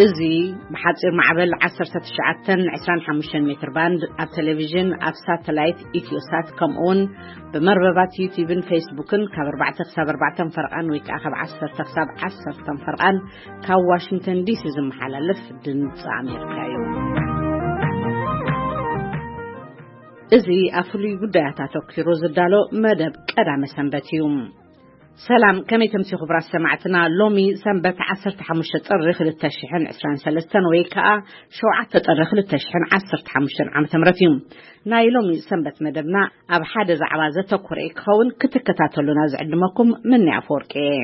እዚ ብሓጺር ማዕበል ዓሰርተ ትሽዓተን ዕስራን ሓሙሽተን ሜትር ባንድ ኣብ ቴሌቪዥን፣ ኣብ ሳተላይት ኢትዮሳት፣ ከምኡውን ብመርበባት ዩቲዩብን ፌስቡክን ካብ ኣርባዕተ ክሳብ ኣርባዕተ ፈርቓን ወይ ከኣ ካብ ዓሰርተ ክሳብ ዓሰርተ ፈርቓን ካብ ዋሽንግተን ዲሲ ዝመሓላለፍ ድምጺ ኣሜሪካ እዩ። እዚ ኣብ ፍሉይ ጉዳያት ኣተኲሩ ዝዳሎ መደብ ቀዳመ ሰንበት እዩ። ሰላም፣ ከመይ ተምሲ ክቡራት ሰማዕትና? ሎሚ ሰንበት ዓሰርተ ሓሙሽተ ጥሪ ክልተ ሽሕን ዕስራን ሰለስተን ወይ ከኣ ሸውዓተ ጥሪ ክልተ ሽሕን ዓሰርተ ሓሙሽተን ዓመተ ምህረት እዩ። ናይ ሎሚ ሰንበት መደብና ኣብ ሓደ ዛዕባ ዘተኮረ ክኸውን ክትከታተሉና ዝዕድመኩም ምኒ ኣፈወርቂ እየ።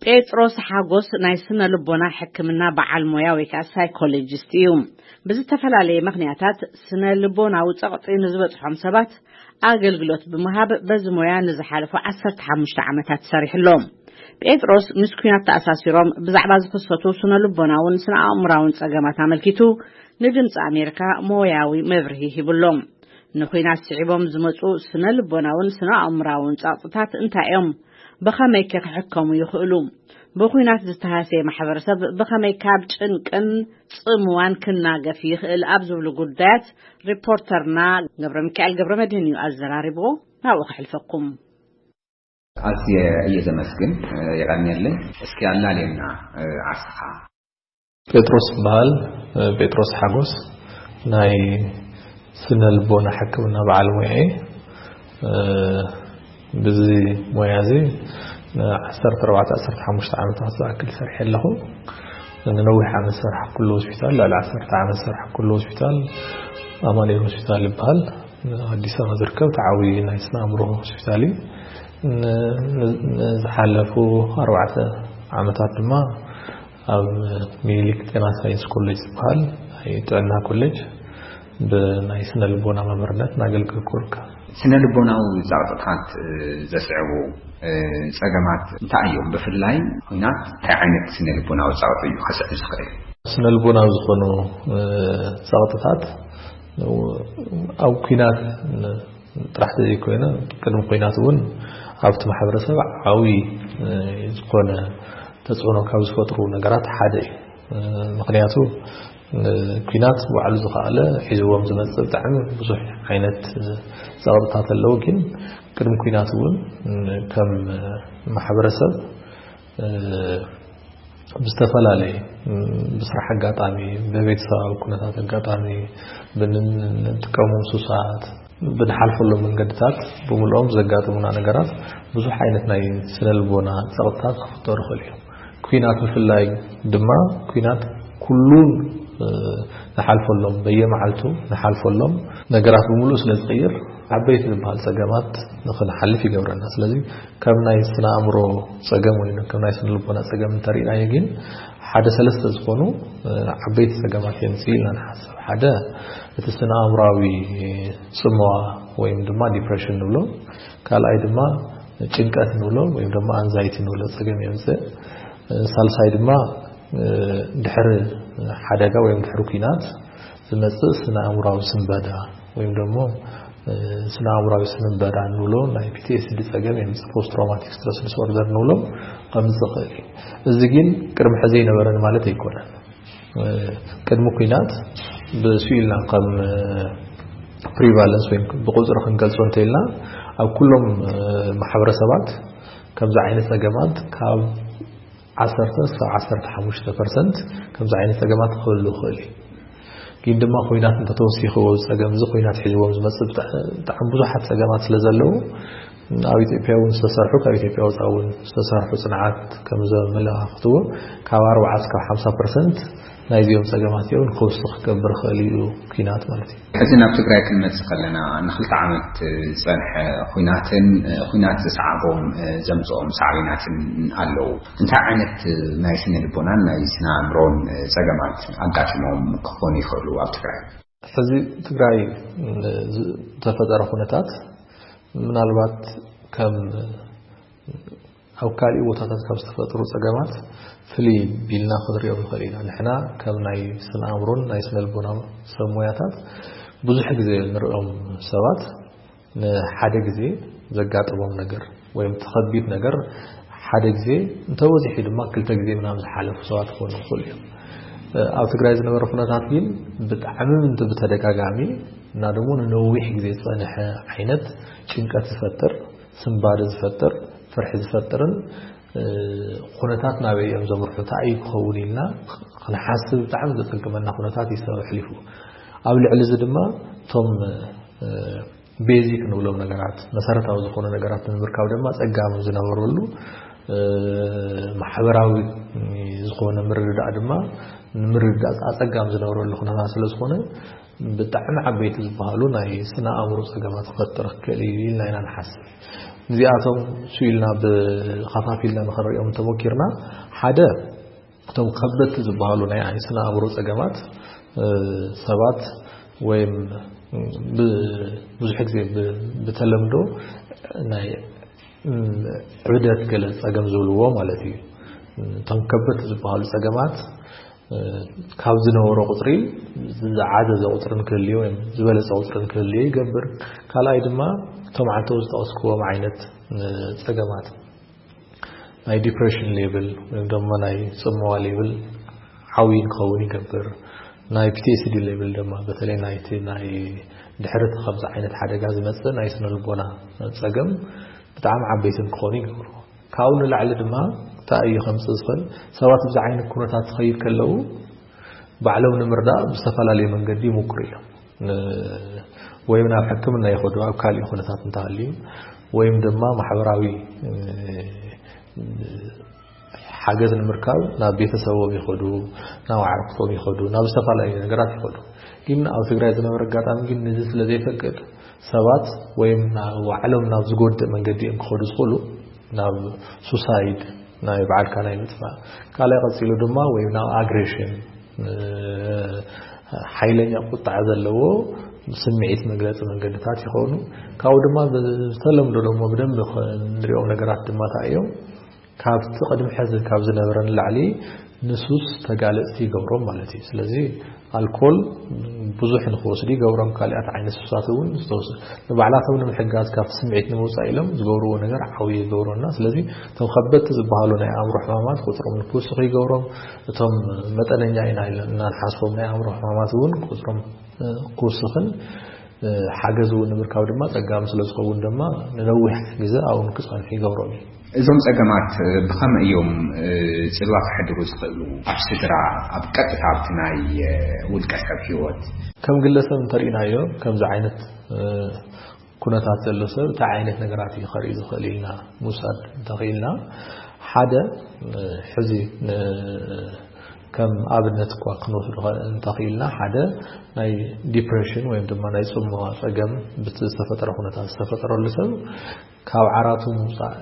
ጴጥሮስ ሓጎስ ናይ ስነ ልቦና ሕክምና በዓል ሞያ ወይ ከኣ ሳይኮሎጂስት እዩ። ብዝተፈላለየ ምኽንያታት ስነ ልቦናዊ ጸቕጢ ንዝበጽሖም ሰባት ኣገልግሎት ብምሃብ በዚ ሞያ ንዝሓለፉ ዓሰርተ ሓሙሽተ ዓመታት ሰሪሑ ኣሎ። ጴጥሮስ ምስ ኲናት ተኣሳሲሮም ብዛዕባ ዝኽሰቱ ስነ ልቦናውን ስነ ኣእምራውን ጸገማት ኣመልኪቱ ንድምጺ ኣሜሪካ ሞያዊ መብርሂ ሂብሎም። ንኹናት ስዒቦም ዝመጹ ስነ ልቦናውን ስነ ኣእምራውን ጸቕጥታት እንታይ እዮም? ብኸመይ ከ ክሕከሙ ይኽእሉ? ብኹናት ዝተሃሰየ ማሕበረሰብ ብኸመይ ካብ ጭንቅን ጽምዋን ክናገፍ ይኽእል? ኣብ ዝብሉ ጉዳያት ሪፖርተርና ገብረ ሚካኤል ገብረ መድህን እዩ ኣዘራሪብዎ። ናብኡ ከሕልፈኩም። ኣዝየ እየ ዘመስግን፣ የቐንየለይ። እስኪ ኣላልየና፣ ዓስኻ። ጴጥሮስ ይበሃል፣ ጴጥሮስ ሓጎስ። ናይ ስነ ልቦና ሕክምና በዓል ሞያ እየ። ብዚ ሞያ እዚ ንዓሰርተ ኣርባዕተ ዓሰርተ ሓሙሽተ ዓመታት ዝኣክል ሰሪሐ ኣለኹ። ንነዊሕ ዓመት ዝሰራሕኩሉ ሆስፒታል፣ ልዕሊ ዓሰርተ ዓመት ዝሰራሕኩሉ ሆስፒታል ኣማኑኤል ሆስፒታል ይበሃል። ኣዲስ ኣበባ ዝርከብ ተዓዊ ናይ ስነ ኣእምሮ ሆስፒታል እዩ። ን-፣ ን-፣ ንዝሓለፉ ኣርባዕተ ዓመታት ድማ ኣብ ሚኒሊክ ጤና ሳይንስ ኮሌጅ ዝበሃል ናይ ጥዕና ኮሌጅ ብናይ ስነ ልቦና መምህርነት እናገልገልኩ እርከብ። ስነ ልቦናዊ ጸቕጥታት፣ እ፣ ዘስዕቡ፣ እ፣ ጸገማት እንታይ እዮም? ብፍላይ ኲናት እንታይ ዓይነት ስነ ልቦናዊ ጸቕጢ እዩ ከስዕብ ዝኽእል? ስነ ልቦናዊ ዝኾኑ፣ እ፣ ጸቕጥታት ኣብ ኲናት ጥራሕ ዘይኮይነ ቅድሚ ኲናት እውን ኣብቲ ማሕበረሰብ ዓብዪ፣ እ፣ ዝኾነ ተጽዕኖ ካብ ዝፈጥሩ ነገራት ሓደ እዩ። እ፣ ምኽንያቱ፣ እ፣ ኲናት ባዕሉ ዝኸኣለ ሒዝዎም ዝመጽእ ብጣዕሚ ብዙሕ ዓይነት፣ እ፣ ጸቕጥታት ኣለዉ። ግን ቅድሚ ኲናት እውን፣ እ፣ ከም ማሕበረሰብ፣ እ፣ ብዝተፈላለየ፣ እ፣ ብስራሕ ኣጋጣሚ፣ ብቤተሰባዊ ኩነታት ኣጋጣሚ፣ ብን-፣ ንጥቀሞም ሱሳት፣ ብንሓልፈሎም መንገድታት ብምልኦም ዘጋጥሙና ነገራት ብዙሕ ዓይነት ናይ ስነ ልቦና ጸቕጥታት ክፍጠሩ ይኽእሉ እዮም። ኲናት ብፍላይ ድማ፣ ኲናት ኩሉን፣ እ፣ ንሓልፈሎም፣ በየመዓልቱ ንሓልፈሎም ነገራት ብምሉእ ስለ ዝቕይር፣ ዓበይቲ ዝበሃል ጸገማት ንኽንሓልፍ ይገብረና። ስለዚ ከም ናይ ስነ ኣእምሮ ጸገም ወይ ከም ናይ ስነ ልቦና ጸገም እንተሪእናዮ ግን፣ ሓደ ሰለስተ ዝኾኑ፣ እ፣ ዓበይቲ ጸገማት የምጽእ ኢልና ንሓስብ። ሓደ እቲ ስነ ኣእምሮኣዊ ጽምዋ ወይም ድማ ዲፕሬሽን ንብሎ፣ ካልኣይ ድማ ጭንቀት ንብሎ ወይም ድማ ኣንዛይቲ ንብሎ ጸገም የምጽእ። እ፣ ሳልሳይ ድማ፣ እ፣ ድሕሪ ሓደጋ ወይም ድሕሪ ኲናት ዝመጽእ ስነ ኣእምሮኣዊ ስንበዳ ወይም ደግሞ፣ እ፣ ስነ ኣእምሮኣዊ ስንበዳ ንብሎ ናይ ፒ ቲ ኤስ ዲ ጸገም የምጽእ፣ ፖስት ትራውማቲክ ስትረስ ዲስኦርደር ንብሎ ከምጽእ ይኽእል እዩ። እዚ ግን ቅድሚ ሕዚ ኣይነበረን ማለት ኣይኮነን። እ፣ ቅድሚ ኲናት ብስኢልና ከም፣ እ፣ ፕሪቫለንስ ወይም ብቁጽሪ ክንገልጾ እንተኢልና ኣብ ኩሎም፣ እ፣ ማሕበረሰባት ከምዚ ዓይነት ጸገማት ካብ ዓሰርተ እስካብ ዓሰርተ ሓሙሽተ ፐርሰንት ከምዚ ዓይነት ጸገማት ክህሉ ይኽእል እዩ። ግን ድማ ኲናት እንተተወሲኽዎ፣ ጸገም እዚ ኲናት ሒዝዎም ዝመጽእ ብጣ-፣ ብጣዕሚ ብዙሓት ጸገማት ስለ ዘለዉ፣ ኣብ ኢትዮጵያ እውን ዝተሰርሑ፣ ካብ ኢትዮጵያ ወጻኢ እውን ዝተሰርሑ ጽንዓት ከም ዘመላኽትዎ፣ ካብ ኣርባዓ እስካብ ሓምሳ ፐርሰንት ናይዚኦም ጸገማት እዮም ክውስኽ ክገብር ይኽእል እዩ ኲናት ማለት እዩ። ሕዚ ናብ ትግራይ ክንመጽእ ከለና፣ ንኽልተ ዓመት ዝጸንሐ ኲናትን፣ እ፣ ኲናት ዘስዓቦም፣ እ፣ ዘምጽኦም ሳዕቤናትን ኣለዉ። እንታይ ዓይነት፣ እ፣ ናይ ስነ ልቦናን ናይ ስነ ኣእምሮን፣ እ፣ ጸገማት ኣጋጢሞም ክኾኑ ይኽእሉ ኣብ ትግራይ? ሕዚ ትግራይ፣ እ፣ ዝተፈጠረ ኩነታት ምናልባት ከም ኣብ ካልእ ቦታታት ካብ ዝተፈጥሩ ጸገማት ፍልይ ቢልና ክንሪኦም ንኽእል ኢና። ንሕና ከም ናይ ስነ ኣእምሮን ናይ ስነ ልቦና ሰብ ሞያታት ብዙሕ ግዜ ንሪኦም ሰባት ንሓደ ግዜ ዘጋጥሞም ነገር፣ ወይም እቲ ከቢድ ነገር ሓደ ግዜ እንተበዚሑ ድማ ክልተ ግዜ ምናምን ዝሓለፉ ሰባት ክኾኑ ይኽእሉ እዮም። ኣብ ትግራይ ዝነበረ ኩነታት ግን ብጣዕሚ ምንት ብተደጋጋሚ እና ደግሞ ንነዊሕ ግዜ ዝፀንሐ ዓይነት ጭንቀት ዝፈጥር፣ ስንባደ ዝፈጥር፣ ፍርሒ ዝፈጥርን ኩነታት ናበይ እዮም ዘምርሑ፣ እንታይ እዩ ክኸውን ኢልና ክንሓስብ ብጣዕሚ ዘፀግመና ኩነታት እዩ ሰብ ኣሕሊፉ። ኣብ ልዕሊ እዚ ድማ እቶም ቤዚክ ንብሎም ነገራት፣ መሰረታዊ ዝኾኑ ነገራት ንምርካብ ድማ ጸጋም ዝነበረሉ፣ ማሕበራዊ ዝኾነ ምርድዳእ ድማ ንምርድዳእ ኣጸጋም ዝነበረሉ ኩነታት ስለ ዝኾነ፣ ብጣዕሚ ዓበይቲ ዝበሃሉ ናይ ስነ ኣእምሮ ጸገማት ክፈጥር ክኽእል እዩ ኢልና ኢና ንሓስብ። እዚኣቶም ስኢልና ብኸፋፊልና ንኽንሪኦም እንተሞኪርና፣ ሓደ እቶም ከበድቲ ዝበሃሉ ናይ ስነ ኣእምሮ ጸገማት ሰባት ወይም ብዙሕ ግዜ ብተለምዶ ናይ ዕብደት ገለ ጸገም ዝብልዎ ማለት እዩ። እቶም ከበድቲ ዝበሃሉ ጸገማት ካብ ዝነበሮ ቁፅሪ ዝዓዘዘ ቁፅሪ ንክህልዮ ወይም ዝበለፀ ቁፅሪ ንክህልዮ ይገብር። ካልኣይ ድማ እቶም ዓንተው ዝጠቐስክዎም ዓይነት ጸገማት ናይ ዲፕሬሽን ሌቭል ወይም ድማ ናይ ጽምዋ ሌቭል ዓብዪ ንክኸውን ይገብር። ናይ ፒቲኤስዲ ሌቭል ድማ በተለይ ናይቲ ናይ ድሕሪ እቲ ከምዚ ዓይነት ሓደጋ ዝመጽእ ናይ ስነ ልቦና ጸገም ብጣዕሚ ዓበይቲ ንክኾኑ ይገብሩ። ካብኡ ንላዕሊ ድማ እንታይ እዩ ከምጽእ ዝኽእል? ሰባት ብዚ ዓይነት ኩነታት ዝኸይድ ከለዉ ባዕሎም ንምርዳእ ብዝተፈላለየ መንገዲ ይምክሩ እዮም። ወይም ናብ ሕክምና ይኸዱ ኣብ ካልእ ኩነታት እንተሃልዩ፣ ወይም ድማ ማሕበራዊ ሓገዝ ንምርካብ ናብ ቤተሰቦም ይኸዱ፣ ናብ ኣዕርክቶም ይኸዱ፣ ናብ ዝተፈላለዩ ነገራት ይኸዱ። ግን ኣብ ትግራይ ዝነበረ ኣጋጣሚ ግን ነዚ ስለ ዘይፈቅድ ሰባት ወይም ባዕሎም ናብ ዝጎድእ መንገዲ እዮም ክኸዱ ዝኽእሉ፣ ናብ ሱሳይድ፣ ናይ ባዕልካ ናይ ምጥፋእ፣ ካልኣይ ቀጺሉ ድማ ወይም ናብ ኣግሬሽን፣ ሓይለኛ ቁጣዕ ዘለዎ ስምዒት መግለፂ መንገድታት ይኾኑ። ካብኡ ድማ ብተለምዶ ደሞ ብደንብ ንሪኦም ነገራት ድማ እንታይ እዮም? ካብቲ ቅድሚ ሕዚ ካብ ዝነበረ ንላዕሊ ንሱስ ተጋለፅቲ ይገብሮም ማለት እዩ። ስለዚ ኣልኮል ብዙሕ ንክወስዱ ይገብሮም። ካልኣት ዓይነት ሱሳት እውን ንባዕላቶም ንምሕጋዝ ካብቲ ስምዒት ንምውፃእ ኢሎም ዝገብርዎ ነገር ዓብዪ ይገብሮና። ስለዚ እቶም ከበድቲ ዝበሃሉ ናይ ኣእምሮ ሕማማት ቁፅሮም ንክውስኹ ይገብሮም። እቶም መጠነኛ ኢና ኢልና ንሓስቦም ናይ ኣእምሮ ሕማማት እውን ቁፅሮም ክውስኽን ሓገዝ እውን ንምርካብ ድማ ጸጋም ስለ ዝኸውን ድማ ንነዊሕ ግዜ ኣብኡ ንክጸንሑ ይገብሮም እዩ። እዞም ጸገማት ብኸመይ እዮም ጽልዋ ከሕድሩ ዝኽእሉ ኣብ ስድራ፣ ኣብ ቀጥታ ኣብቲ ናይ ውልቀ ሰብ ህይወት? ከም ግለሰብ እንተርኢናዮ ከምዚ ዓይነት ኩነታት ዘሎ ሰብ እንታይ ዓይነት ነገራት እዩ ከርኢ ዝኽእል ኢልና ምውሳድ እንተኽኢልና፣ ሓደ ሕዚ ከም ኣብነት እኳ ክንወስዶ እንተኽኢልና፣ ሓደ ናይ ዲፕሬሽን ወይም ድማ ናይ ጽምዋ ጸገም ብቲ ዝተፈጠረ ኩነታት ዝተፈጠረሉ ሰብ ካብ ዓራቱ ምውጻእ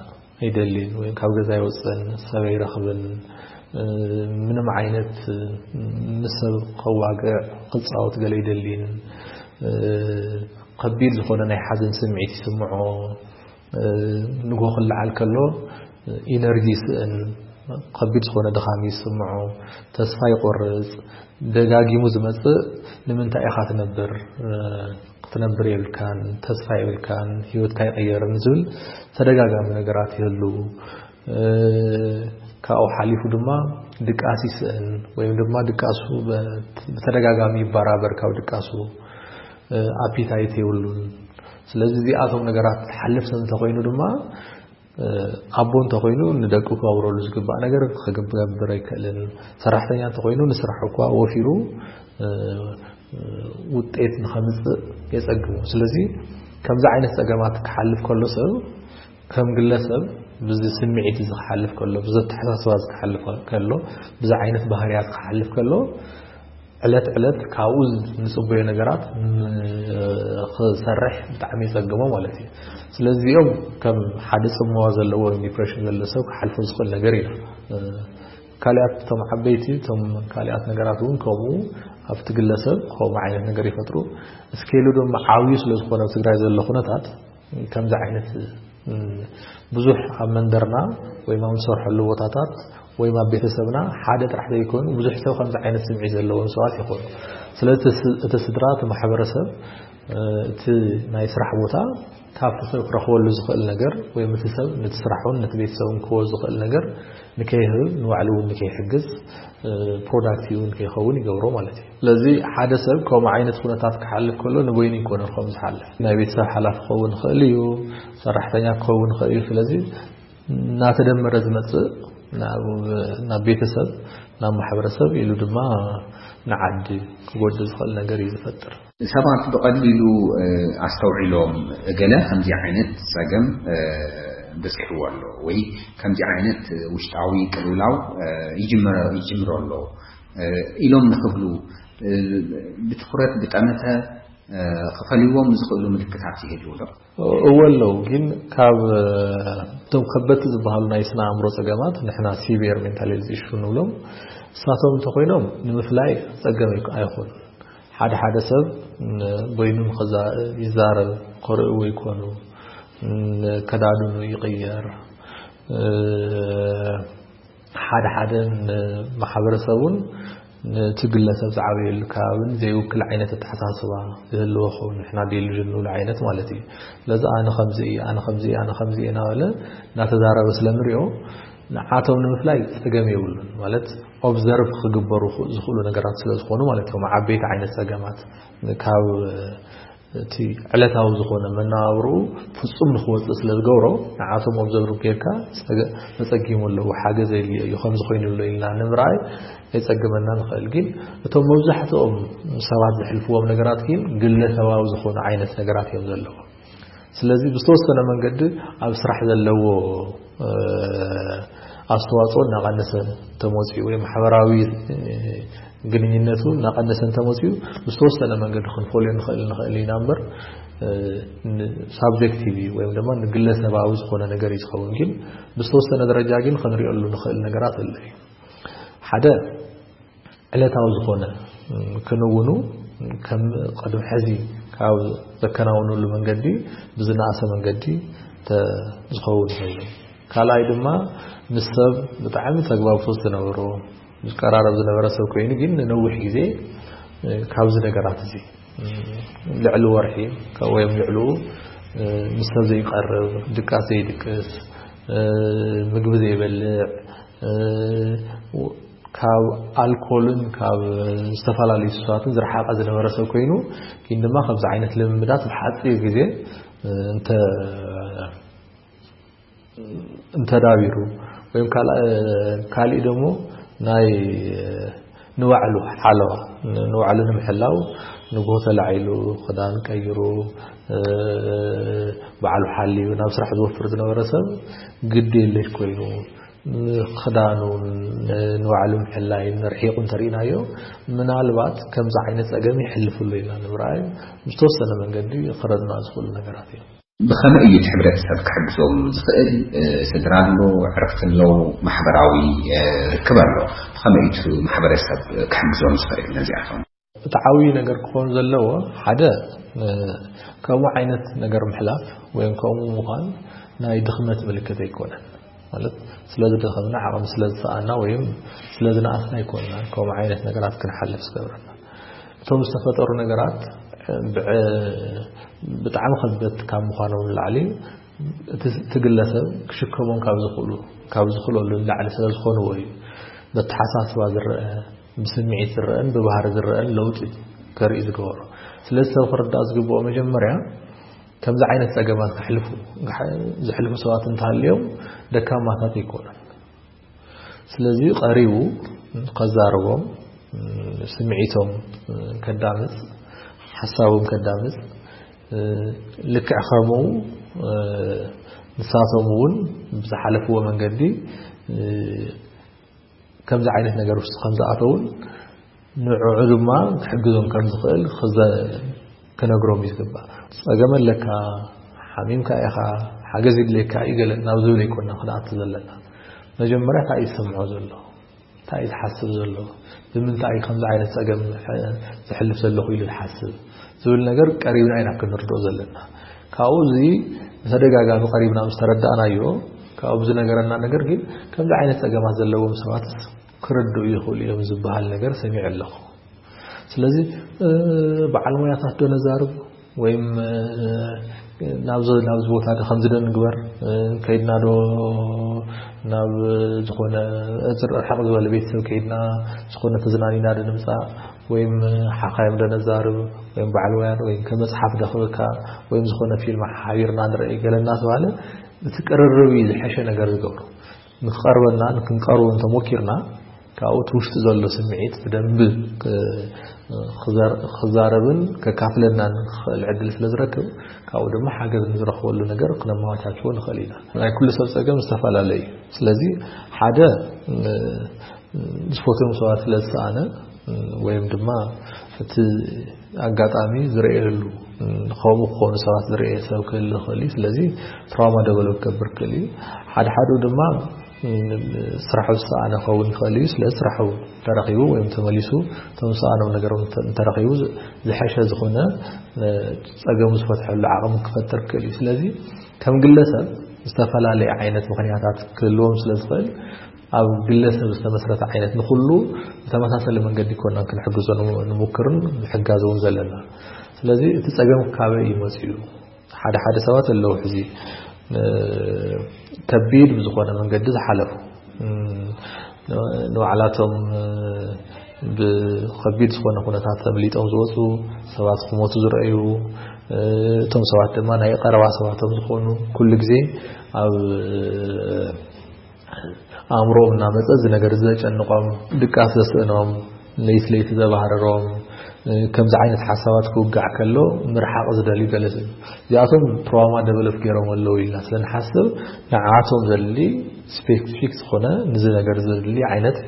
ኣይደልን ወይም ካብ ገዛ ኣይወጽእን፣ ሰብ ኣይረኽብን፣ ምንም ዓይነት ምስ ሰብ ከዋግዕ ክጻወት ገለ ኣይደልን፣ ከቢድ ዝኾነ ናይ ሓዘን ስምዒት ይስምዖ፣ ንጎ ክለዓል ከሎ ኢነርጂ ይስእን፣ ከቢድ ዝኾነ ድኻም ይስምዖ፣ ተስፋ ይቆርጽ፣ ደጋጊሙ ዝመጽእ ንምንታይ ኢኻ ትነብር፣ ክትነብር የብልካን፣ ተስፋ የብልካን፣ ህይወትካ ይቕየርን ዝብል ተደጋጋሚ ነገራት ይህሉ። ካብኡ ሓሊፉ ድማ ድቃስ ይስእን ወይም ድማ ድቃሱ ብተደጋጋሚ ይበራበር፣ ካብ ድቃሱ ኣፒታይት የብሉን። ስለዚ እዚኣቶም ነገራት ዝሓልፍ ሰብ እንተኾይኑ ድማ ኣቦ እንተኾይኑ ንደቁ ክገብረሉ ዝግባእ ነገር ክገብር ኣይክእልን። ሰራሕተኛ እንተኾይኑ ንስራሕ እኳ ወፊሩ ውጤት ንኸምፅእ የፀግሙ። ስለዚ ከምዚ ዓይነት ፀገማት ክሓልፍ ከሎ ሰብ ከም ግለሰብ ብዚ ስምዒት እዚ ክሓልፍ ከሎ፣ ብዚ ኣተሓሳስባ እዚ ክሓልፍ ከሎ፣ ብዚ ዓይነት ባህርያት ክሓልፍ ከሎ ዕለት ዕለት ካብኡ ንጽበዮ ነገራት ክሰርሕ ብጣዕሚ ይጸግሞ ማለት እዩ። ስለዚኦም ከም ሓደ ጽምዋ ዘለዎ ዲፕሬሽን ዘሎ ሰብ ክሓልፎ ዝኽእል ነገር እዩ። ካልኣት እቶም ዓበይቲ እቶም ካልኣት ነገራት እውን ከምኡ ኣብቲ ግለሰብ ከምኡ ዓይነት ነገር ይፈጥሩ። እስኬሉ ድማ ዓብዩ ስለ ዝኾነ ኣብ ትግራይ ዘሎ ኩነታት ከምዚ ዓይነት ብዙሕ ኣብ መንደርና ወይ ኣብ ንሰርሐሉ ቦታታት ወይም ኣብ ቤተሰብና ሓደ ጥራሕ ዘይኮኑ ብዙሕ ሰብ ከምዚ ዓይነት ስምዒት ዘለዎም ሰባት ይኾኑ። ስለዚ እቲ ስ- እቲ ስድራ፣ እቲ ማሕበረሰብ፣ እ፣ እቲ ናይ ስራሕ ቦታ ካብቲ ሰብ ክረኽበሉ ዝኽእል ነገር ወይም እቲ ሰብ ነቲ ስራሑን ነቲ ቤተሰቡን ክህቦ ዝኽእል ነገር ንከይህብ፣ ንባዕሉ እውን ንከይሕግዝ፣ እ፣ ፕሮዳክቲቭ እውን ከይኸውን ይገብሮ ማለት እዩ። ስለዚ ሓደ ሰብ ከምኡ ዓይነት ኩነታት ክሓልፍ ከሎ ንበይኑ ይኮነን ከም ዝሓልፍ። ናይ ቤተሰብ ሓላፊ ክኸውን ይኽእል እዩ፣ ሰራሕተኛ ክኸውን ይኽእል እዩ። ስለዚ እናተደመረ ዝመጽእ ናብ ናብ ቤተሰብ፣ ናብ ማሕበረሰብ ኢሉ ድማ ንዓዲ ክጎድእ ዝኽእል ነገር እዩ ዝፈጥር። ሰባት ብቐሊሉ እ፣ ኣስተውዒሎም እገለ ከምዚ ዓይነት ጸገም እ፣ በጺሕዎ ኣሎ ወይ ከምዚ ዓይነት ውሽጣዊ ቅልውላው እ፣ ይጅመረ ይጅምሮ ኣሎ እ፣ ኢሎም ንክብሉ እ፣ ብትኹረት ብጠመተ እ፣ ክፈልይዎም ዝኽእሉ ምልክታት ይህልው ዶ? እወ ኣለዉ፣ ግን ካብ እ፣ እቶም ከበድቲ ዝበሃሉ ናይ ስነ ኣእምሮ ጸገማት ንሕና ሲቪየር ሜንታል ሄልዝ ኢሹ ንብሎም እሳቶም እንተኾይኖም ንምፍላይ ጸገም ኣይኮ- ኣይኾኑን። ሓደ ሓደ ሰብ ን- በይኑ ንኸዛ- ይዛረብ፣ ከርእይዎ ይኮኑ፣ ን- ከዳድኑ ይቕየር፣ እ፣ ሓደ ሓደ ንማሕበረሰቡን ነቲ ግለሰብ ዝዓበየሉ ከባብን ዘይውክል ዓይነት ኣተሓሳስባ ዝህልዎ ክኸውን፣ ንሕና ዴሉዥን ንብሎ ዓይነት ማለት እዩ። ስለዚ ኣነ ከምዚ እየ፣ ኣነ ከምዚ እየ፣ ኣነ ከምዚ እየ እናበለ እናተዛረበ ስለንሪኦ ንዓቶም ንምፍላይ ጸገም የብሉን። ማለት ኦብዘርቭ ክግበሩ ዝኽእሉ ነገራት ስለ ዝኾኑ ማለት እዮም። ዓበይቲ ዓይነት ጸገማት ካብ እቲ ዕለታዊ ዝኾነ መነባብርኡ ፍጹም ንኽወጽእ ስለ ዝገብሮ ንዓቶም ኦብዘርቭ ጌርካ ጸገ- ተጸጊሙ ኣለዉ፣ ሓገዝ የድልዮ እዩ፣ ከምዚ ኮይኑ ኣሎ ኢልና ንምርኣይ የጸግመና ንኽእል። ግን እቶም መብዛሕትኦም ሰባት ዘሕልፍዎም ነገራት ግን ግለሰባዊ ዝኾኑ ዓይነት ነገራት እዮም ዘለዎም። ስለዚ ብዝተወሰነ መንገዲ ኣብ ስራሕ ዘለዎ እ፣ ኣስተዋፅኦ እናቐነሰ ተመፅኡ ወይ ማሕበራዊ እ፣ ግንኙነቱ እናቐነሰ እንተመፅኡ ብዝተወሰነ መንገዲ ክንፈልዮ ንኽእል ንኽእል ኢና እምበር እ፣ ን- ሳብጀክቲቭ እዩ ወይም ድማ ንግለሰባዊ ዝኾነ ነገር እዩ ዝኸውን። ግን ብዝተወሰነ ደረጃ ግን ክንሪኦሉ ንኽእል ነገራት ኣሎ እዩ። ሓደ ዕለታዊ ዝኾነ እ፣ ክንውኑ ከም ቅድሚ ሕዚ ካብ ዘከናውኑሉ መንገዲ ብዝነኣሰ መንገዲ ተ- ዝኸውን ኮይኑ፣ ካልኣይ ድማ ምስ ሰብ ብጣዕሚ ተግባብቶት ዝነበሮ ዝቀራረብ ዝነበረ ሰብ ኮይኑ ግን ንነዊሕ ግዜ እ፣ ካብዚ ነገራት እዚ እ፣ ልዕሊ ወርሒ ወይም ልዕሉ እ፣ ምስ ሰብ ዘይቀርብ፣ ድቃስ ዘይድቅስ፣ እ፣ ምግቢ ዘይበልዕ እ፣ ካብ ኣልኮልን ካብ ዝተፈላለዩ ሱሳትን ዝረሓቐ ዝነበረ ሰብ ኮይኑ ግን ድማ ከምዚ ዓይነት ልምምዳት ብሓፂር ግዜ እ፣ እንተ እንተዳቢሩ ወይም ካልእ ካልእ ደሞ ናይ ንባዕሉ ሓለዋ ንባዕሉ ንምሕላው ንጎ ተላዒሉ ክዳን ቀይሩ እ፣ ባዕሉ ሓልዩ ናብ ስራሕ ዝወፍር ዝነበረ ሰብ ግድ የለሽ ኮይኑ ንክዳኑን ንባዕሉ ምሕላይን ርሒቑ እንተርኢናዮ ምናልባት ከምዚ ዓይነት ጸገም ይሕልፍሉ ኢና ንምርኣይ ዝተወሰነ መንገዲ ክረድና ዝኽእሉ ነገራት እዮም። ብኸመይ እዩ እቲ ሕብረተሰብ ክሕግዞም ዝኽእል? እ፣ ስድራ ኣሎ፣ ዕርፍቲ ኣለዉ፣ ማሕበራዊ እ፣ ርክብ ኣሎ። ብኸመይ እዩ እቲ ማሕበረሰብ ክሕግዞም ዝኽእል ነዚኣቶም? እቲ ዓብዪ ነገር ክኾን ዘለዎ ሓደ እ፣ ከምኡ ዓይነት ነገር ምሕላፍ ወይም ከምኡ ምዃን ናይ ድኽመት ምልክት ኣይኮነን። ማለት ስለ ዝደኸምና ዓቕሚ ስለ ዝሰኣና ወይም ስለ ዝነኣስና ኣይኮንና ከምኡ ዓይነት ነገራት ክንሓልፍ ዝገብረና። እቶም ዝተፈጠሩ ነገራት ብዕ- ብጣዕሚ ከበድቲ ካብ ምዃኖም ንላዕሊ እቲ እቲ ግለሰብ ክሽከሞም ካብ ዝኽእሉ ካብ ዝኽእለሉ ንላዕሊ ስለ ዝኾንዎ እዩ። በተሓሳስባ ዝረአ ብስምዒት ዝረአን ብባህሪ ዝረአን ለውጢ ከርኢ ዝገበሮ። ስለዚ ሰብ ክርዳእ ዝግብኦ መጀመርያ ከምዚ ዓይነት ጸገማት ክሕልፉ ዝሕልፉ ሰባት እንተሃልዮም ደካማታት ኣይኮኑን። ስለዚ ቀሪቡ ከዛርቦም ስምዒቶም ከዳምጽ ሓሳቦም ከዳምጽ ልክዕ ከምኡ ንሳቶም እውን ብዝሓለፍዎ መንገዲ ከምዚ ዓይነት ነገር ውስጥ ከም ዝኣተውን ንዕዑ ድማ ክሕግዞም ከም ዝኽእል ክዘ- ክነግሮም እዩ ዝግባእ። ጸገም ኣለካ፣ ሓሚምካ ኢኻ፣ ሓገዝ ይድልየካ እዩ ገለ ናብ ዝብል ኣይኮና ክንኣቱ ዘለና። መጀመርያ እንታይ እዩ ዝሰምዖ ዘሎ? እንታይ እዩ ዝሓስብ ዘሎ? ብምንታይ እዩ ከምዚ ዓይነት ጸገም ዝሕልፍ ዘለኹ ኢሉ ዝሓስብ ዝብል ነገር ቀሪብና ኢና ክንርድኦ ዘለና። ካብኡ እዚ ብተደጋጋሚ ቀሪብና ምስ ተረዳእናዮ ካብኡ ዝነገረና ነገር ግን ከምዚ ዓይነት ጸገማት ዘለዎም ሰባት ክርድኡ ይኽእሉ እዮም ዝበሃል ነገር ሰሚዐ ኣለኹ። ስለዚ በዓል ሞያታት ዶ ነዛርብ ወይም ናብ ናብዚ ቦታ ዶ ከምዚ ዶ ንግበር፣ ከይድና ዶ ናብ ዝኾነ ርሕቕ ዝበለ ቤተሰብ ከይድና ዝኾነ ተዝናኒና ዶ ንምፃእ፣ ወይም ሓኻይም ዶ ነዛርብ፣ ወይም በዓል ሞያ ዶ፣ ወይም ከመፅሓፍ ዶ ክበካ፣ ወይም ዝኾነ ፊልም ሓቢርና ንርኢ ገለና ተባለ፣ እቲ ቅርርብ እዩ ዝሐሸ ነገር ዝገብሩ። ንክቐርበና ክንቀርቦ እንተሞኪርና ካብኡ እቲ ውሽጢ ዘሎ ስምዒት ብደንብ ክዛረብን ከካፍለናን ክኽእል ዕድል ስለ ዝረክብ፣ ካብኡ ድማ ሓገዝ ንዝረኽበሉ ነገር ክነመቻችዎ ንኽእል ኢና። ናይ ኩሉ ሰብ ጸገም ዝተፈላለየ እዩ። ስለዚ ሓደ ዝፈትዎም ሰባት ስለ ዝሰኣነ ወይም ድማ እቲ ኣጋጣሚ ዝረኣየሉ፣ ከምኡ ክኾኑ ሰባት ዝረኣየ ሰብ ክህሉ ይኽእል እዩ። ስለዚ ትራውማ ደቨሎፕ ክገብር ክእል እዩ። ሓደ ሓደ ድማ ስራሑ ዝሰኣነ ክኸውን ይኽእል እዩ። ስለዚ ስራሑ ተረኺቡ ወይም ተመሊሱ እቶም ዝሰኣኖም ነገር እንተረኺቡ ዝሐሸ ዝኾነ ጸገሙ ዝፈትሐሉ ዓቕሚ ክፈጥር ክእል እዩ። ስለዚ ከም ግለሰብ ዝተፈላለየ ዓይነት ምኽንያታት ክህልዎም ስለ ዝኽእል ኣብ ግለሰብ ዝተመስረተ ዓይነት ንኹሉ ብተመሳሰለ መንገዲ ኮና ክንሕግዞ ንሙክርን ንሕጋዝ እውን ዘለና። ስለዚ እቲ ጸገም ካበይ እዩ መጺኡ? ሓደ ሓደ ሰባት ኣለዉ ሕዚ ከቢድ ብዝኾነ መንገዲ ዝሓለፉ ንባዕላቶም ብኸቢድ ዝኾነ ኩነታት ተምሊጦም ዝወፁ ሰባት ክሞቱ ዝረኣዩ፣ እቶም ሰባት ድማ ናይ ቀረባ ሰባቶም ዝኾኑ ኩሉ ግዜ ኣብ ኣእምሮም እናመፀ እዚ ነገር ዘጨንቆም፣ ድቃስ ዘስእኖም፣ ለይቲ ለይቲ ዘባህርሮም፣ ከምዚ ዓይነት ሓሳባት ክውጋዕ ከሎ ምርሓቕ ዝደልዩ ገለ እዚኣቶም ትራውማ ደቨሎፕ ገይሮም ኣለዉ ኢልና ስለ ንሓስብ ንዓቶም ዘድሊ ስፔሲፊክ ዝኾነ ንዚ ነገር ዘድሊ ዓይነት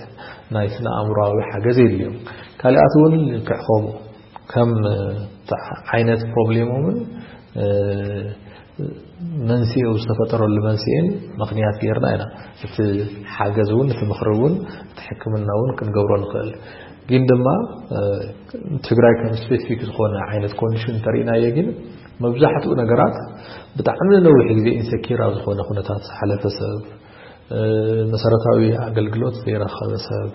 ናይ ስነ ኣእምሮዊ ሓገዝ የድልዮም። ካልኣት እውን ክዕኸቡ ከም ዓይነት ፕሮብሌሞምን መንስኤው ዝተፈጠረሉ መንስኤን ምኽንያት ጌርና ኢና እቲ ሓገዝ እውን እቲ ምኽሪ እውን እቲ ሕክምና እውን ክንገብሮ ንኽእል። ግን ድማ ትግራይ ከም ስፔሲፊክ ዝኾነ ዓይነት ኮንዲሽን እንተሪእናዮ ግን መብዛሕትኡ ነገራት ብጣዕሚ ነዊሕ ግዜ ኢንሰኪር ኣብ ዝኾነ ኩነታት ዝሓለፈ ሰብ፣ መሰረታዊ ኣገልግሎት ዘይረኸበ ሰብ፣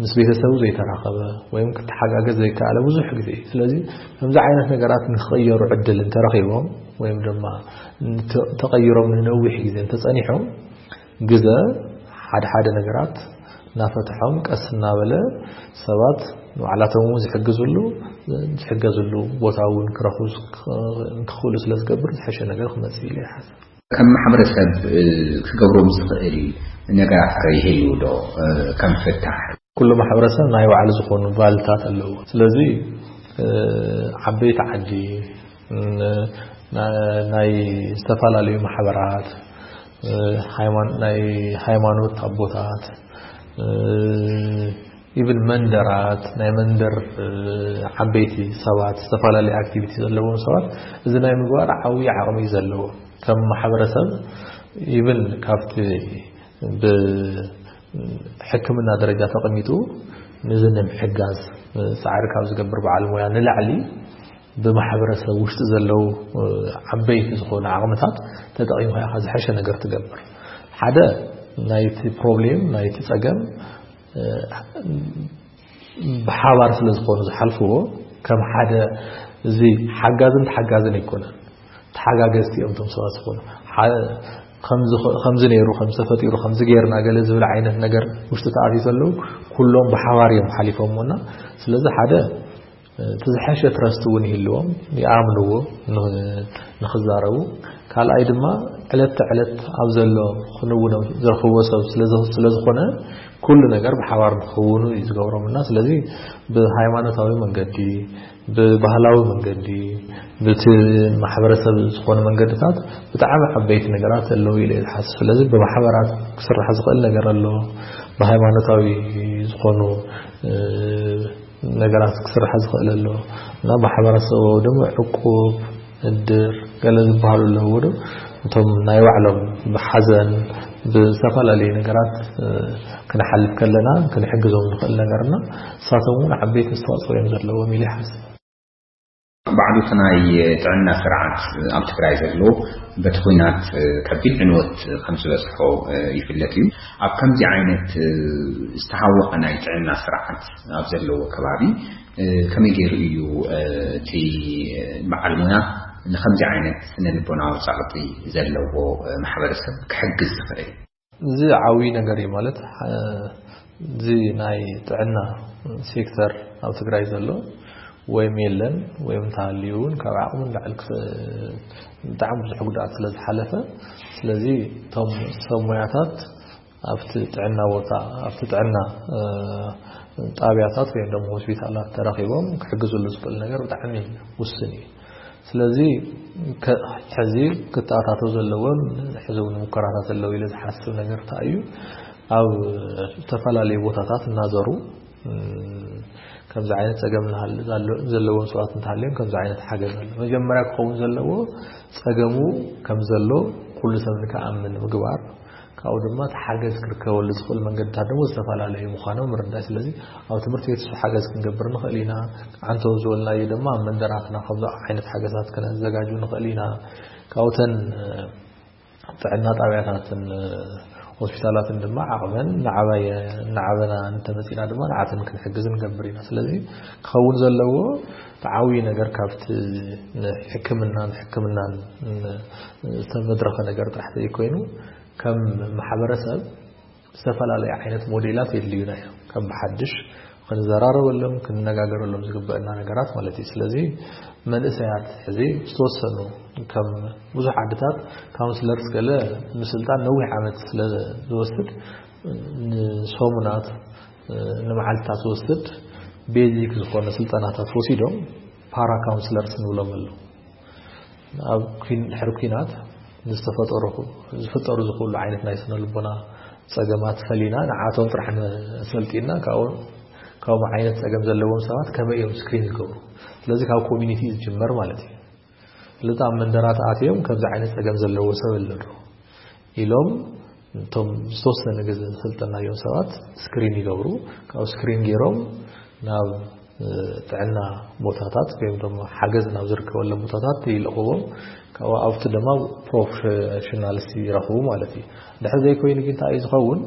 ምስ ቤተሰቡ ዘይተራኸበ ወይም ክተሓጋገዝ ዘይከኣለ ብዙሕ ግዜ። ስለዚ ከምዚ ዓይነት ነገራት ንክቕየሩ ዕድል እንተረኺቦም ወይም ድማ ተቐይሮም ንነዊሕ ግዜ እንተጸኒሖም ግዘ ሓደ ሓደ ነገራት እናፈትሖም ቀስ እናበለ ሰባት ንባዕላቶም እውን ዝሕግዝሉ ዝሕገዝሉ ቦታ እውን ክረኽቡ ክኽእሉ ስለ ዝገብር ዝሐሸ ነገር ክመፅእ ኢለ ይሓስብ። ከም ማሕበረሰብ ክገብሮም ዝኽእል ነገራት ከ ይህልዩ ዶ ከም ፍታሕ? ኩሉ ማሕበረሰብ ናይ ባዕሉ ዝኾኑ ቫልታት ኣለዎ። ስለዚ ዓበይቲ ዓዲ፣ ናይ ዝተፈላለዩ ማሕበራት፣ ናይ ሃይማኖት ኣቦታት፣ ኢቭን መንደራት፣ ናይ መንደር ዓበይቲ ሰባት፣ ዝተፈላለዩ ኣክቲቪቲ ዘለዎም ሰባት እዚ ናይ ምግባር ዓብዪ ዓቕሚ እዩ ዘለዎ። ከም ማሕበረሰብ ኢቭን ካብቲ ብሕክምና ደረጃ ተቐሚጡ ንዚ ንምሕጋዝ ፃዕሪ ካብ ዝገብር በዓል ሞያ ንላዕሊ ብማሕበረሰብ ውሽጢ ዘለዉ ዓበይቲ ዝኾኑ ዓቕምታት ተጠቒምካ ኢኻ ዝሐሸ ነገር ትገብር። ሓደ ናይቲ ፕሮብሌም ናይቲ ጸገም ብሓባር ስለ ዝኾኑ ዝሓልፍዎ ከም ሓደ እዚ ሓጋዝን ተሓጋዝን ኣይኮነን። ተሓጋገዝቲ እዮም እቶም ሰባት ዝኾኑ። ከምዚ ነይሩ ከምዚ ተፈጢሩ ከምዚ ገይርና ገለ ዝብል ዓይነት ነገር ውሽጢ ተኣትዩ ዘለዉ ኩሎም ብሓባር እዮም ሓሊፎምና። ስለዚ ሓደ እቲ ዝሐሸ ትረስት እውን ይህልዎም ይኣምንዎ ንኽዛረቡ። ካልኣይ ድማ ዕለት ተዕለት ኣብ ዘሎ ክንውኖም ዝረኽብዎ ሰብ ስለ ዝኾነ ኩሉ ነገር ብሓባር ንክኽውኑ እዩ ዝገብሮም እና ስለዚ ብሃይማኖታዊ መንገዲ ብባህላዊ መንገዲ ብቲ ማሕበረሰብ ዝኾኑ መንገድታት ብጣዕሚ ዓበይቲ ነገራት ኣለዉ ኢለ ዝሓስብ። ስለዚ ብማሕበራት ክስራሕ ዝኽእል ነገር ኣሎ። ብሃይማኖታዊ ዝኾኑ ነገራት ክስራሕ ዝኽእል ኣሎ እና ማሕበረሰብ ድማ ዕቁብ እድር ገለ ዝበሃሉ ኣለዎ ዶ እቶም ናይ ባዕሎም ብሓዘን ብዝተፈላለዩ ነገራት ክንሓልፍ ከለና ክንሕግዞም ንኽእል ነገርና እሳቶም እውን ዓበይቲ ኣስተዋፅኦ እዮም ዘለዎም ኢለ ይሓስብ። ባዕሉ እቲ ናይ ጥዕና ስርዓት ኣብ ትግራይ ዘሎ በቲ ኲናት ከቢድ ዕንወት ከም ዝበፅሖ ይፍለጥ እዩ። ኣብ ከምዚ ዓይነት ዝተሃወቐ ናይ ጥዕና ስርዓት ኣብ ዘለዎ ከባቢ ከመይ ገይሩ እዩ እቲ በዓል ሞያ ንከምዚ ዓይነት ስነ ልቦናዊ ጸቕጢ ዘለዎ ማሕበረሰብ ክሕግዝ ዝኽእል? እዚ ዓብዪ ነገር እዩ። ማለት፣ እዚ ናይ ጥዕና ሴክተር ኣብ ትግራይ ዘሎ ወይም የለን ወይም እንተሃልዩ እውን ካብ ዓቕሙ ንላዕሊ ክስ-፣ ብጣዕሚ ብዙሕ ጉድኣት ስለ ዝሓለፈ፣ ስለዚ እቶም ሰብ ሞያታት ኣብቲ ጥዕና ቦታ፣ ኣብቲ ጥዕና ጣብያታት ወይም ደሞ ሆስፒታላት ተረኺቦም ክሕግዝሉ ዝኽእል ነገር ብጣዕሚ ውስን እዩ። ስለዚ ከ-፣ ሕዚ ክተኣታተው ዘለዎም፣ ሕዚ እውን ሙከራታት ኣለዉ ኢለ ዝሓስብ ነገር እንታይ እዩ? ኣብ ዝተፈላለዩ ቦታታት እናዘሩ፣ እም፣ ከምዚ ዓይነት ጸገም እናሃለ-፣ ዘሎ-፣ ዘለዎም ሰባት እንተሃልዮም ከምዚ ዓይነት ሓገዝ ኣሎ። መጀመርያ ክኸውን ዘለዎ ጸገሙ ከም ዘሎ ኩሉ ሰብ ንክኣምን ምግባር፣ ካብኡ ድማ እቲ ሓገዝ ክርከበሉ ዝኽእል መንገድታት ደግሞ ዝተፈላለዩ ምዃኖም ምርዳእ። ስለዚ ኣብ ትምህርቲ ቤት እሱ ሓገዝ ክንገብር ንኽእል ኢና። ዓንተው ዝበልናዮ ድማ ኣብ መንደራትና ከምዚ ዓይነት ሓገዛት ክነዘጋጁ ንኽእል ኢና። ካብኡተን ጥዕና ጣብያታትን ሆስፒታላትን ድማ ዓቕመን እናዓበየ-፣ እናዓበና እንተመፂና ድማ ንዓተን ክንሕግዝ ንገብር ኢና። ስለዚ ክኸውን ዘለዎ ተዓብዩ ነገር ካብቲ ንሕክምናን ሕክምናን ዝተመድረኸ ነገር ጥራሕ ዘይኮይኑ፣ ከም ማሕበረሰብ ዝተፈላለዩ ዓይነት ሞዴላት የድልዩና እዮም። ከም ብሓድሽ ክንዘራረበሎም፣ ክንነጋገረሎም ዝግበአና ነገራት ማለት እዩ። ስለዚ መንእሰያት ሕዚ ዝተወሰኑ፣ ከም ብዙሕ ዓድታት ካውንስለርስ ገለ ምስልጣን ነዊሕ ዓመት ስለ ዝወስድ፣ ንሰሙናት፣ ንመዓልታት ዝወስድ ቤዚክ ዝኾነ ስልጠናታት ወሲዶም ፓራ ካውንስለርስ ንብሎም ኣለዉ። ኣብ ኲን-፣ ድሕሪ ኲናት ዝተፈጠሩ፣ ዝፍጠሩ ዝኽእሉ ዓይነት ናይ ስነ ልቦና ጸገማት ፈሊና ንዓቶም ጥራሕ ሰልጢና ካብኡ፣ ካብኡ ዓይነት ጸገም ዘለዎም ሰባት ከመይ እዮም ስክሪን ዝገብሩ? ስለዚ ካብ ኮሚኒቲ ዝጅመር ማለት እዩ። ስለዚ ኣብ መንደራት ኣትዮም ከምዚ ዓይነት ጸገም ዘለዎ ሰብ ኣሎ ዶ ኢሎም እቶም ዝተወሰነ ግዜ ዝሰልጠናዮም ሰባት ስክሪን ይገብሩ። ካብ ስክሪን ገይሮም ናብ፣ እ፣ ጥዕና ቦታታት ወይም ደሞ ሓገዝ ናብ ዝርከበሎም ቦታታት ይልእኽዎም። ካብኡ ኣብቲ ድማ ፕሮፌሽናልስ ይረኽቡ ማለት እዩ። እንድሕር ዘይኮይኑ ግን እንታይ እዩ ዝኸውን?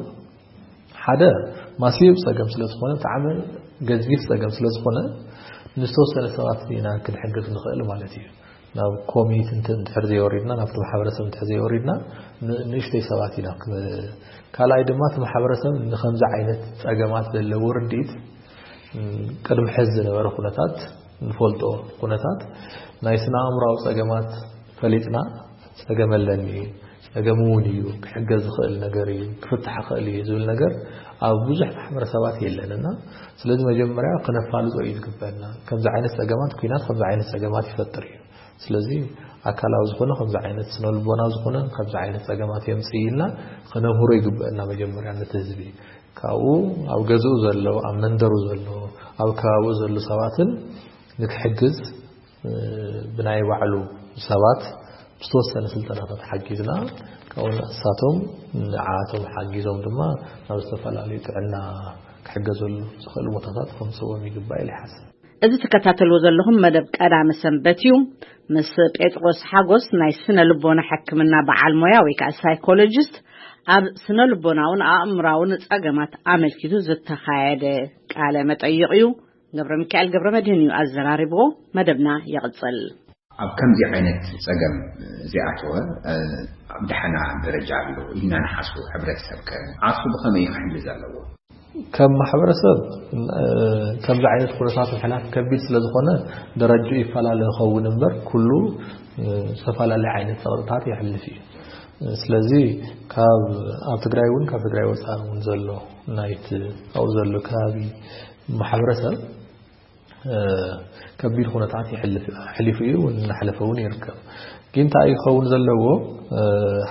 ሓደ ማሲብ ጸገም ስለ ዝኾነ፣ ብጣዕሚ ገዚፍ ጸገም ስለ ዝኾነ፣ ንዝተወሰነ ሰባት ኢና ክንሕግዝ ንኽእል ማለት እዩ። ናብ ኮሚኒቲ እንተ-፣ እንድሕር ዘይወሪድና፣ ናብቲ ማሕበረሰብ እንድሕር ዘይወሪድና፣ ን-፣ ንእሽተይ ሰባት ኢና ክን-፣ ካልኣይ ድማ እቲ ማሕበረሰብ ንኸምዚ ዓይነት ጸገማት ዘለዎ ርድኢት፣ ም፣ ቅድሚ ሕዚ ዝነበረ ኩነታት፣ ንፈልጦ ኩነታት ናይ ስነ ኣእምሮኣዊ ጸገማት ፈሊጥና፣ ጸገም ኣለኒ፣ ጸገም እውን እዩ፣ ክሕገዝ ዝኽእል ነገር እዩ፣ ክፍታሕ ይኽእል እዩ ዝብል ነገር ኣብ ብዙሕ ማሕበረሰባት የለን እና፣ ስለዚ መጀመርያ ክነፋልጦ እዩ ዝግበአና። ከምዚ ዓይነት ጸገማት፣ ኲናት ከምዚ ዓይነት ጸገማት ይፈጥር እዩ። ስለዚ ኣካላዊ ዝኾነ ከምዚ ዓይነት፣ ስነ ልቦናዊ ዝኾነ ከምዚ ዓይነት ጸገማት የምጽእ ኢልና ክነምህሮ ይግበአና መጀመርያ ነቲ ህዝቢ። ካብኡ ኣብ ገዝኡ ዘሎ፣ ኣብ መንደሩ ዘሎ፣ ኣብ ከባቢኡ ዘሎ ሰባትን ንክሕግዝ፣ እ፣ ብናይ ባዕሉ ሰባት ዝተወሰነ ስልጠናታት ሓጊዝና፣ ካብኡ ንሳቶም ንዓቶም ሓጊዞም ድማ ናብ ዝተፈላለዩ ጥዕና ክሕገዘሉ ዝኽእሉ ቦታታት ከምፅዎም ይግባእ ኢለ ይሓስብ። እዚ ትከታተልዎ ዘለኹም መደብ ቀዳመ ሰንበት እዩ። ምስ ጴጥሮስ ሓጎስ ናይ ስነ ልቦና ሕክምና በዓል ሞያ ወይ ከዓ ሳይኮሎጂስት ኣብ ስነ ልቦናውን ኣእምራውን ጸገማት ኣመልኪቱ ዝተኻየደ ቃለ መጠይቕ እዩ። ገብረ ሚካኤል ገብረ መድህን እዩ ኣዘራሪብዎ። መደብና ይቕጽል። ኣብ ከምዚ ዓይነት ጸገም ዝኣተወ፣ እ፣ ኣብ ደሓና ደረጃ ኣሎ ኢልና ንሓስቦ ሕብረተሰብ ከ ንዓሱ ብኸመይ እዩ ክሕግዝ ኣለዎ? ከም ማሕበረሰብ፣ እ፣ ከምዚ ዓይነት ኩነታት ምሕላፍ ከቢድ ስለ ዝኾነ ደረጃኡ ይፈላለ ይኸውን እምበር ኩሉ፣ እ፣ ዝተፈላለየ ዓይነት ጸቕጥታት የሕልፍ እዩ። ስለዚ ካብ ኣብ ትግራይ እውን ካብ ትግራይ ወፃኢ እውን ዘሎ ናይቲ ኣብኡ ዘሎ ከባቢ ማሕበረሰብ እ፣ ከቢድ ኩነታት ይሕልፍ፣ ኣሕሊፉ እዩ፣ እናሕለፈ እውን ይርከብ። ግን እንታይ ክኸውን ዘለዎ? እ፣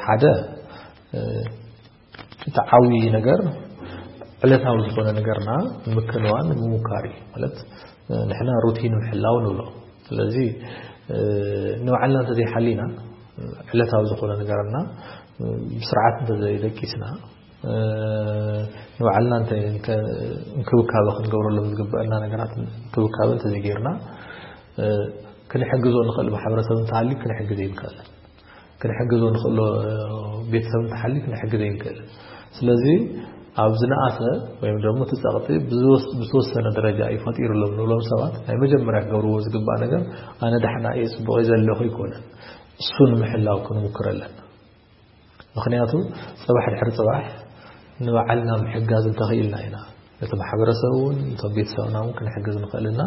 ሓደ፣ እ፣ እቲ ዓብዪ ነገር ዕለታዊ ዝኾነ ነገርና ንምክንዋን ምሙካር እዩ። ማለት፣ እ፣ ንሕና ሩቲን ምሕላው ንብሎ። ስለዚ፣ እ፣ ንባዕልና እንተዘይሓሊና፣ ዕለታዊ ዝኾነ ነገርና፣ እ፣ ብስርዓት እንተዘይደቂስና፣ እ፣ ንባዕልና እንተ-፣ እንተ-፣ እንክብካበ ክንገብረሎም ዝግበአና ነገራት እንክብካበ እንተዘይጌርና፣ እ፣ ክንሕግዞ ንኽእል ማሕበረሰብ እንተሃልዩ ክንሕግዝ ይንክእል። ክንሕግዞ ንኽእሎ ቤተሰብ እንተሃልዩ ክንሕግዝ ይንክእል። ስለዚ ኣብ ዝነኣሰ ወይም ደግሞ እቲ ጸቕጢ ብዝወስ-፣ ብዝተወሰነ ደረጃ እዩ ፈጢሩሎም ንብሎም ሰባት ናይ መጀመርያ ክገብርዎ ዝግባእ ነገር ኣነ ዳሕና እየ ጽቡቕ እየ ዘለኹ ኣይኮነን። እሱ ንምሕላው ክንምክር ኣለና። ምኽንያቱ ጽባሕ ድሕሪ ጽባሕ ንባዕልና ምሕጋዝ እንተኽኢልና ኢና ነቲ ማሕበረሰብ እውን ነቶም ቤተሰብና እውን ክንሕግዝ ንኽእል ኢና።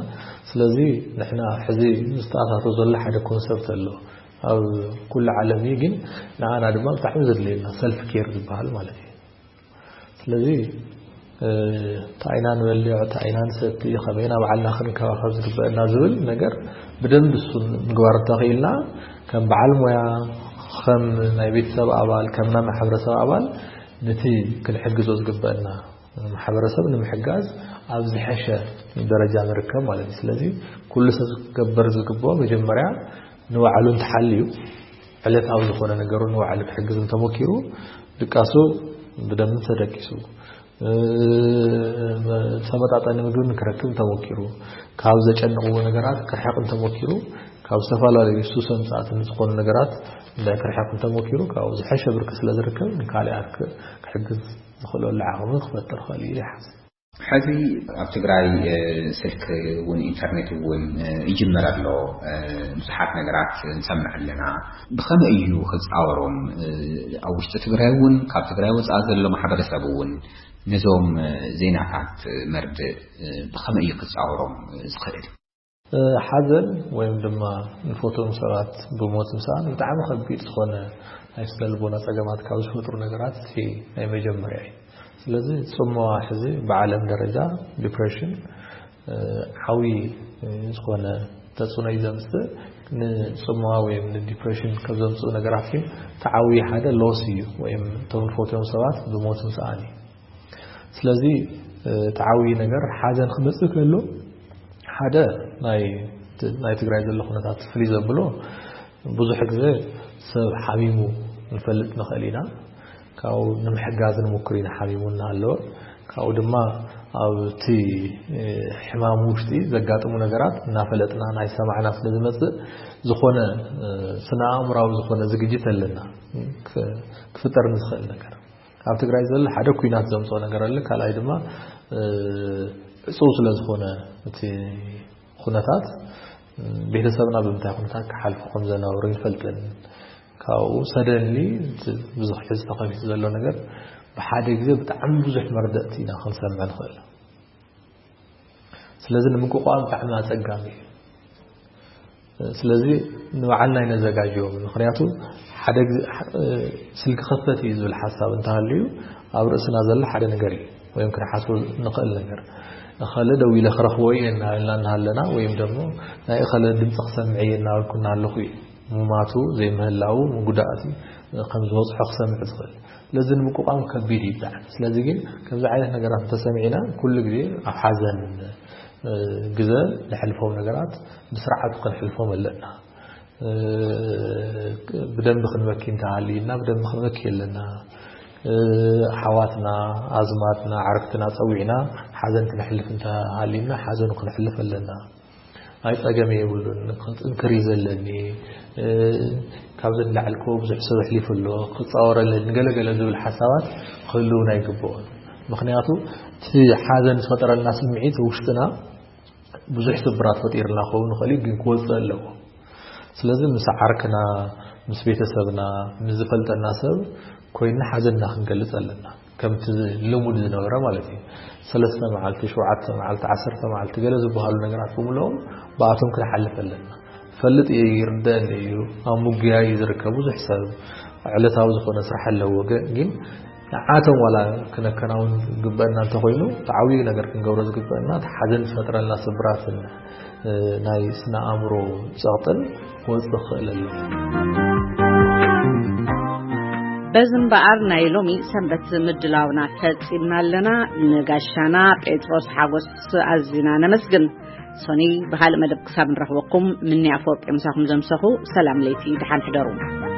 ስለዚ ንሕና ሕዚ ዝተኣታቶ ዘሎ ሓደ ኮንሰፕት ኣሎ ኣብ ኩሉ ዓለም እዩ፣ ግን ንዓና ድማ ብጣዕሚ ዘድልየና ሰልፍ ኬር ዝበሃል ማለት እዩ። ስለዚ እንታይ ኢና ንበልዕ፣ እንታይ ኢና ንሰቲ፣ ከመይ ኢና ባዕልና ክንከባኸብ ዝግበአና ዝብል ነገር ብደንብ እሱ ምግባር እንተኽኢልና ከም በዓል ሞያ፣ ከም ናይ ቤተሰብ ኣባል፣ ከም ናይ ማሕበረሰብ ኣባል ነቲ ክንሕግዞ ዝግበአና ማሕበረሰብ ንምሕጋዝ ኣብ ዝሐሸ ደረጃ ንርከብ ማለት እዩ። ስለዚ ኩሉ ሰብ ክገበር ዝግብኦ መጀመርያ ንባዕሉ እንተሓልዩ ዕለታዊ ዝኾነ ነገሩ ንባዕሉ ክሕግዝ እንተሞኪሩ ድቃሱ ብደንብ ተደቂሱ፣ እ፣ ተመጣጣኒ ምግቢ ክረክብ እንተሞኪሩ፣ ካብ ዘጨንቕዎ ነገራት ክርሕቕ እንተሞኪሩ፣ ካብ ዝተፈላለዩ ሱሰ ምጽኣትን ዝኾኑ ነገራት እንዳ ክርሕቕ እንተሞኪሩ፣ ካብኡ ዝሐሸ ብርኪ ስለ ዝርከብ ንካልኣት ክ-፣ ክሕግዝ ዝኽእለሉ ዓቕሚ ክፈጥር ክእል ኢሉ ይሓስብ። ሕዚ ኣብ ትግራይ፣ እ፣ ስልክ እውን ኢንተርኔት እውን፣ እ፣ ይጅመር ኣሎ። እ፣ ብዙሓት ነገራት ንሰምዕ ኣለና። ብኸመይ እዩ ክጻወሮም? እ፣ ኣብ ውሽጢ ትግራይ እውን ካብ ትግራይ ወጻኢ ዘሎ ማሕበረሰብ እውን ነዞም፣ እ፣ ዜናታት መርድእ፣ እ፣ ብኸመይ እዩ ክጻወሮም ዝኽእል? እ፣ ሓዘን ወይም ድማ ንፈትዎም ሰባት ብሞት ምስኣን ብጣዕሚ ከቢድ ዝኾነ ናይ ስነ ልቦና ጸገማት ካብ ዝፈጥሩ ነገራት እቲ ናይ መጀመርያ እዩ። ስለዚ ጽምዋ ሕዚ ብዓለም ደረጃ ዲፕሬሽን፣ እ፣ ዓብዪ፣ እ፣ ዝኾነ ተጽዕኖ እዩ ዘምጽእ። ንጽምዋ ወይም ንዲፕሬሽን ካብ ዘምጽኡ ነገራት ግን እቲ ዓብዪ ሓደ ሎስ እዩ፣ ወይም እቶም ንፈትዎም ሰባት ብሞት ምስኣን እዩ። ስለዚ፣ እ፣ እቲ ዓብዪ ነገር ሓዘን ክመጽእ ከሎ ሓደ ናይ፣ ናይ ትግራይ ዘሎ ኩነታት ፍልይ ዘብሎ ብዙሕ ግዜ ሰብ ሓሚሙ ንፈልጥ ንኽእል ኢና። ካብኡ ንምሕጋዝ ንምክር ኢና ሓሚሙ እናሃለወ። ካብኡ ድማ ኣብቲ፣ እ፣ ሕማም ውሽጢ ዘጋጥሙ ነገራት እናፈለጥና ናይ ሰማዕና ስለ ዝመጽእ ዝኾነ፣ እ፣ ስነ ኣእምራዊ ዝኾነ ዝግጅት ኣለና። ክ-፣ ክፍጠር ንዝኽእል ነገር። ኣብ ትግራይ ዘሎ ሓደ ኩናት ዘምጽኦ ነገር ኣለ። ካልኣይ ድማ፣ እ፣ ዕጹው ስለ ዝኾነ እቲ ኩነታት፣ እ፣ ቤተሰብና ብምንታይ ኩነታት ክሓልፉ ከም ዘነበሩ ይፈልጥን። ካብኡ ሰደንሊ ብዙሕ ሕዚ ተኸፊቱ ዘሎ ነገር ብሓደ ግዜ ብጣዕሚ ብዙሕ መርደእቲ ኢና ክንሰምዕ ንኽእል። ስለዚ ንምቁቋም ብጣዕሚ ኣጸጋሚ እዩ። ስለዚ ንባዕልና ይነዘጋጅዮም። ምኽንያቱ ሓደ ግዜ፣ እ፣ ስልኪ ከፈት እዩ ዝብል ሓሳብ እንተሃልዩ ኣብ ርእስና ዘሎ ሓደ ነገር እዩ፣ ወይም ክንሓስቦ ንኽእል ነገር። እኸለ ደው ኢለ ክረኽቦ እየ እናበልና እናሃለና፣ ወይም ደግሞ ናይ እኸለ ድምፂ ክሰምዕ እየ እናበልኩ እናሃለኹ እዩ ምማቱ ዘይምህላዉ፣ ጉዳእቲ ከም ዝበፅሖ ክሰምዕ ዝኽእል። ስለዚ ንምቁቋም ከቢድ እዩ ብጣዕሚ። ስለዚ ግን ከምዚ ዓይነት ነገራት እንተሰሚዕና ኩሉ ግዜ ኣብ ሓዘን፣ እ፣ ግዘ ንሕልፎም ነገራት ብስርዓቱ ክንሕልፎም ኣለና። እ፣ ብደንቢ ክንበኪ እንተሃልዩና ብደንቢ ክንበኪ ኣለና። እ፣ ኣሕዋትና፣ ኣዝማድና፣ ዓርክትና ጸዊዕና ሓዘን ክነሕልፍ እንተሃልዩና ሓዘኑ ክነሕልፍ ኣለና። ኣይ ጸገም የብሉን፣ ክንጥንክር እዩ ዘለኒ። እ፣ ካብዚ ንላዕሊ እኮ ብዙሕ ሰብ ኣሕሊፉ ኣሎ፣ ክጻወር ኣለኒ፣ ገለገለ ዝብል ሓሳባት ክህልውና ኣይግብኦን። ምኽንያቱ እቲ ሓዘን ዝፈጠረልና ስምዒት ውሽጥና ብዙሕ ስብራት ፈጢርና ክኸውን ይኽእል እዩ፣ ግን ክወጽእ ኣለዎ። ስለዚ ምስ ዓርክና፣ ምስ ቤተሰብና፣ ምስ ዝፈልጠና ሰብ ኮይንና ሓዘንና ክንገልጽ ኣለና። ከምቲ ልሙድ ዝነበረ ማለት እዩ። ሰለስተ መዓልቲ፣ ሸውዓተ መዓልቲ፣ ዓሰርተ መዓልቲ ገለ ዝበሃሉ ነገራት ብምልኦም ብኣቶም ክንሓልፍ ኣለና። ፈልጥ እየ፣ ይርደአኒ እዩ። ኣብ ምጉያይ እዩ ዝርከብ ብዙሕ ሰብ። ዕለታዊ ዝኾነ ስራሕ ኣለዎ። ገ-፣ ግን ንዓቶም ዋላ ክነከናውን ዝግበአና እንተኾይኑ፣ እቲ ዓብዪ ነገር ክንገብሮ ዝግበአና፣ እቲ ሓዘን ዝፈጥረልና ስብራትን፣ እ፣ ናይ ስነ ኣእምሮ ጸቕጥን ክወጽእ ክኽእል ኣለዎ። በዚ እምበኣር ናይ ሎሚ ሰንበት ምድላውና ፈጺምና ኣለና። ንጋሻና ጴጥሮስ ሓጎስ ኣዚና ነመስግን። ሶኒ ብኻልእ መደብ ክሳብ ንረኽበኩም፣ ምንያ ኣፈወርቂ ምሳኹም ዘምሰኹ። ሰላም ለይቲ፣ ደሓን ሕደሩ።